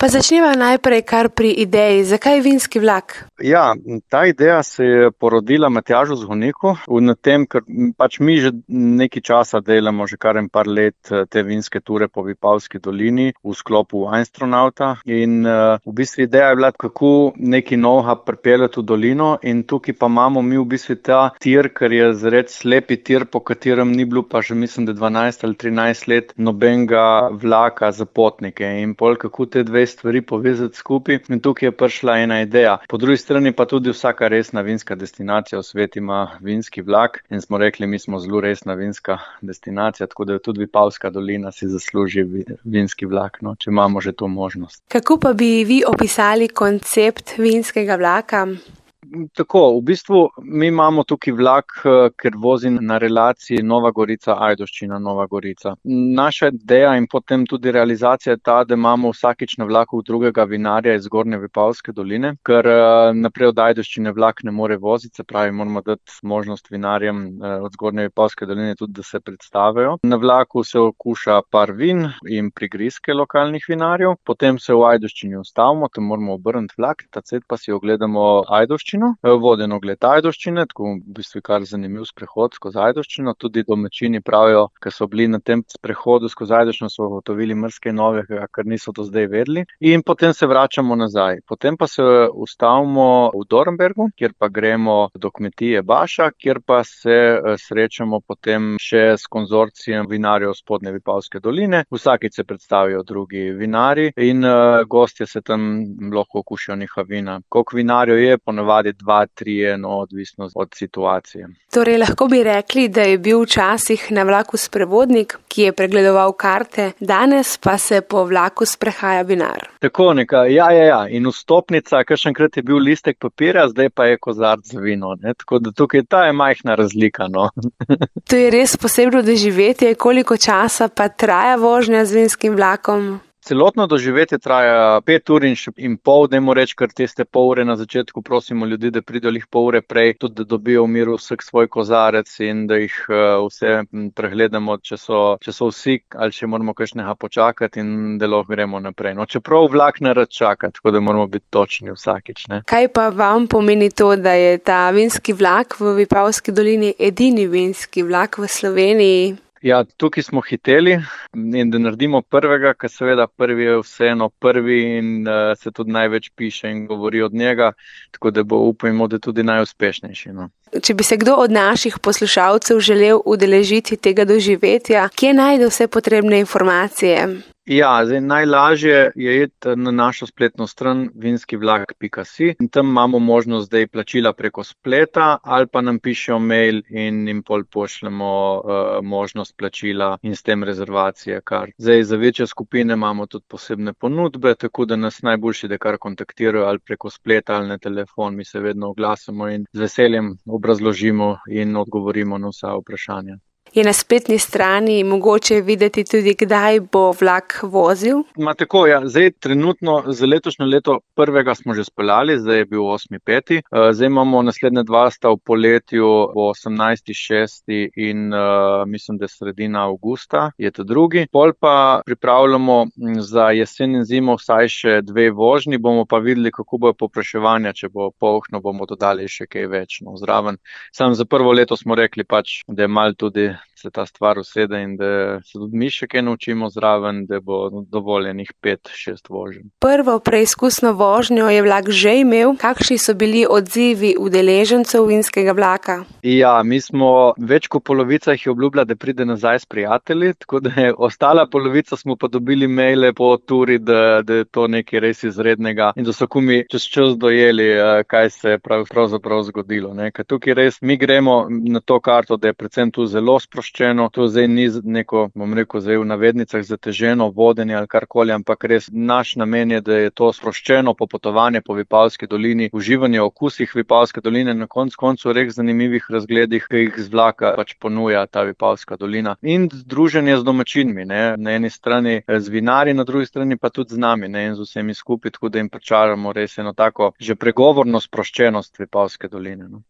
Pa začneva najprej kar pri ideji. Zakaj vinski vlak? Ja, ta ideja se je porodila Matjažu Zgoniku na tem, ker pač mi že nekaj časa delamo, že kar en par let te vinske ture po Vipavski dolini v sklopu Weinstronauta in v bistvu ideja je bila, kako neki novega pripeljati v dolino in tukaj pa imamo mi v bistvu ta tir, ker je zred slepi tir, po katerem ni bilo pa že mislim, da 12 ali 13 let nobenega vlaka za potnike in pol kako te dve stvari povezati skupaj in tukaj je prišla ena ideja. Po drugi strani pa tudi vsaka resna vinska destinacija v svetu ima vinski vlak in smo rekli, mi smo zelo resna vinska destinacija, tako da tudi Vipavska dolina si zasluži vinski vlak, no, če imamo že to možnost. Kako pa bi vi opisali koncept vinskega vlaka? Tako, v bistvu mi imamo tukaj vlak, ker vozi na relaciji Nova Gorica-Ajdovščina, Nova Gorica. Naša ideja in potem tudi realizacija je ta, da imamo vsakič na vlaku drugega vinarja iz Zgornje Vipavske doline, ker naprej od Ajdovščine vlak ne more voziti, se pravi, moramo dati možnost vinarjem od Zgornje Vipavske doline tudi, da se predstavijo. Na vlaku se okuša par vin in prigrizke lokalnih vinarjev, potem se v Ajdovščini ustavimo, tam moramo obrniti vlak, tacet pa si ogledamo Ajdovščino. Voden ogled Ajdovščine, tako v bistvu kar zanimiv sprehod skozi Ajdovščino. Tudi domačini pravijo, ker so bili na tem sprehodu skozi Ajdovščino, so ugotovili marsikaj novega, kar niso do zdaj vedeli. In potem se vračamo nazaj. Potem pa se ustavimo v Dornbergu, kjer pa gremo do kmetije Baša, kjer pa se srečamo potem še s konzorcijem vinarjev Spodnje Vipavske doline. Vsakič se predstavijo drugi vinarji in gostje se tam lahko okušajo njihova vina. Koliko vinarjev je, ponavadi 2, 3, odvisno od situacije. Torej, lahko bi rekli, da je bil včasih na vlaku sprevodnik, ki je pregledoval karte, danes pa se po vlaku sprehaja vinar. Tako nekaj, ja. In vstopnica, kakšenkrat je bil listek papirja, zdaj pa je kozarc za vino, ne? Tako da tukaj ta je majhna razlika, no. To je res posebno doživetje, koliko časa pa traja vožnja z vinskim vlakom? Celotno doživetje traja 5 ur in pol, dajmo reči, ker tiste pol ure na začetku prosimo ljudi, da pridejo jih pol ure prej, tudi da dobijo v miru vsak svoj kozarec in da jih vse pregledamo, če so vsi ali če moramo kakšnega počakati in da lahko gremo naprej. No, čeprav vlak ne rad čaka, tako da moramo biti točni vsakič, ne. Kaj pa vam pomeni to, da je ta vinski vlak v Vipavski dolini edini vinski vlak v Sloveniji? Ja, tukaj smo hiteli in da naredimo prvega, ker seveda prvi je vseeno prvi in se tudi največ piše in govori od njega, tako da upajmo, da tudi najuspešnejši, no. Če bi se kdo od naših poslušalcev želel udeležiti tega doživetja, kje najde vse potrebne informacije? Ja, zdaj najlažje je iti na našo spletno stran vinskivlak.si in tam imamo možnost zdaj plačila preko spleta ali pa nam pišejo mail in jim pol pošljemo možnost plačila in s tem rezervacije kar. Zdaj za večje skupine imamo tudi posebne ponudbe, tako da nas najboljši, da kar kontaktirajo ali preko spleta ali na telefon, mi se vedno oglasimo in z veseljem obrazložimo in odgovorimo na vsa vprašanja. Je na spletni strani mogoče videti tudi, kdaj bo vlak vozil? Tako, ja. Zdaj trenutno za letošnje leto prvega smo že speljali, zdaj je bil 8.5. Zdaj imamo naslednje 2 sta v poletju v 18.6. in mislim, da sredina avgusta je ta drugi. Pol pa pripravljamo za jesen in zimo vsaj še 2 vožnji, bomo pa videli, kako bo povpraševanje, če bo polhno, bomo dodali še kaj več, no, zraven. Samo za prvo leto smo rekli pač, da je malo tudi se ta stvar usede in da se tudi mi še kaj naučimo zraven, da bo dovoljenih 5-6 voženj. Prvo preizkusno vožnjo je vlak že imel. Kakšni so bili odzivi udeležencev vinskega vlaka? Ja, mi smo več kot polovica jih je obljubila, da pride nazaj s prijatelji, tako da je ostala polovica smo pa dobili maile po turi, da je to nekaj res izrednega in da so kumi čez čas dojeli, kaj se je pravzaprav zgodilo, ne. Ker tukaj res mi gremo na to karto, da je predvsem tu zelo sproščeno, to zdaj ni neko, bom rekel, zdaj v navednicah zateženo vodenje ali karkoli, ampak res naš namen je, da je to sproščeno popotovanje po Vipavski dolini, uživanje v okusih Vipavske doline, na koncu res zanimivih razgledih, ki jih z vlaka pač ponuja ta Vipavska dolina. In druženje z domačinmi, ne, na eni strani z vinarji, na drugi strani pa tudi z nami, ne, in z vsemi skupaj, tako da jim pričaramo res eno tako že pregovorno sproščenost Vipavske doline, no.